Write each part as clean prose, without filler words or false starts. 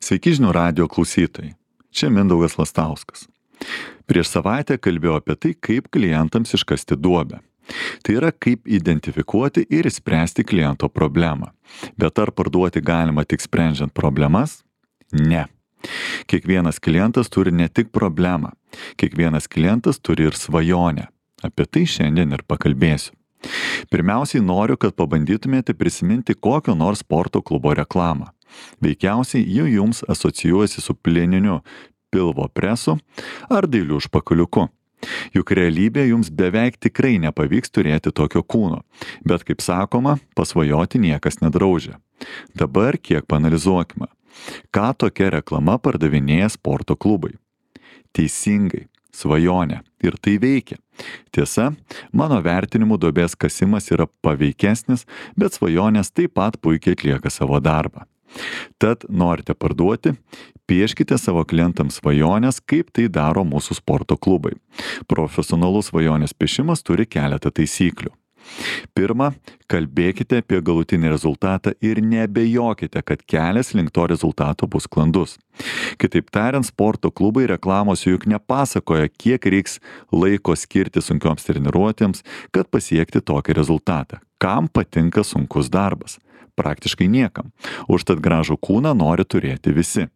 Sveiki žinių radijo klausytojai. Čia Mindaugas Lastauskas. Prieš savaitę kalbėjau apie tai, kaip klientams iškasti duobę. Tai yra, kaip identifikuoti ir išspręsti kliento problemą. Bet ar parduoti galima tik sprendžiant problemas? Ne. Kiekvienas klientas turi ne tik problemą. Kiekvienas klientas turi ir svajonę. Apie tai šiandien ir pakalbėsiu. Pirmiausiai noriu, kad pabandytumėte prisiminti kokio nors sporto klubo reklamą. Veikiausiai ji jums asocijuojasi su pleniniu pilvo presu ar dailiu užpakaliuku. Juk realybė jums beveik tikrai nepavyks turėti tokio kūno, bet kaip sakoma, pasvajoti niekas nedraudžia. Dabar kiek paanalizuokime, ką tokia reklama pardavinėja sporto klubai. Teisingai, svajonė, ir tai veikia. Tiesa, mano vertinimu duobės kasimas yra paveikesnis, bet svajonės taip pat puikiai atlieka savo darbą. Tad norite parduoti, pieškite savo klientams svajonės, kaip tai daro mūsų sporto klubai. Profesionalus svajonės piešimas turi keletą taisyklių. Pirma, kalbėkite apie galutinį rezultatą ir neabejokite, kad kelias link to rezultato bus sklandus. Kitaip tariant, sporto klubai reklamos juk nepasakoja, kiek reiks laiko skirti sunkioms treniruotėms, kad pasiekti tokį rezultatą. Kam patinka sunkus darbas? Praktiškai niekam. Užtat gražų kūną nori turėti visi.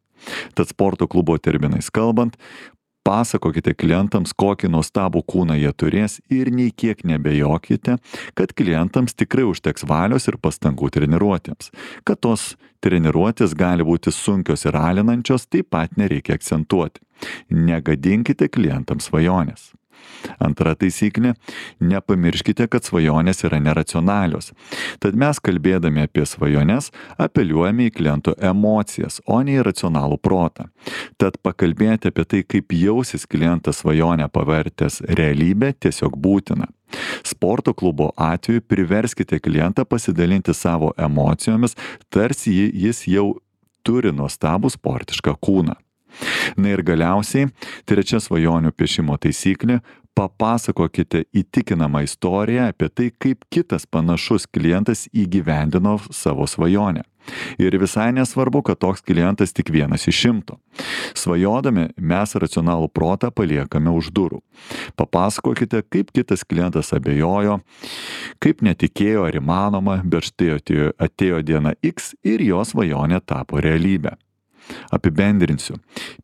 Tad sporto klubo terminais kalbant, pasakokite klientams, kokį nuostabų kūną jie turės ir nei kiek nebejokite, kad klientams tikrai užteks valios ir pastangų treniruotėms. Kad tos treniruotės gali būti sunkios ir alinančios, taip pat nereikia akcentuoti. Negadinkite klientams svajonės. Antra taisyklė, nepamirškite, kad svajonės yra neracionalios. Tad mes kalbėdami apie svajones apeliuojame į kliento emocijas, o ne į racionalų protą. Tad pakalbėti apie tai, kaip jausis klientas svajonę pavertęs realybę, tiesiog būtina. Sporto klubo atveju priverskite klientą pasidalinti savo emocijomis, tarsi jis jau turi nuostabų sportišką kūną. Na ir galiausiai, trečia svajonių piešimo taisyklė, papasakokite įtikinamą istoriją apie tai, kaip kitas panašus klientas įgyvendino savo svajonę. Ir visai nesvarbu, kad toks klientas tik vienas iš 100. Svajodami mes racionalų protą paliekame už durų. Papasakokite, kaip kitas klientas abejojo, kaip netikėjo ar įmanoma, bet štai atėjo diena X ir jo svajonė tapo realybė. Apibendrinsiu.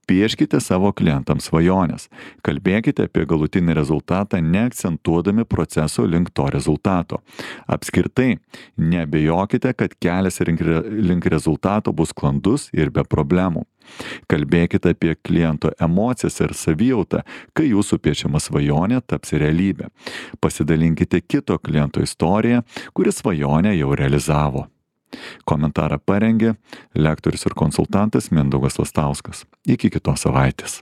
Pieškite savo klientams svajonės. Kalbėkite apie galutinį rezultatą, neakcentuodami proceso link to rezultato. Apskritai, neabejokite, kad kelias link rezultato bus sklandus ir be problemų. Kalbėkite apie kliento emocijas ir savijautą, kai jūsų piešiama svajonė taps realybė. Pasidalinkite kito kliento istoriją, kuris svajonę jau realizavo. Komentarą parengė lektorius ir konsultantas Mindaugas Lastauskas. Iki kitos savaitės.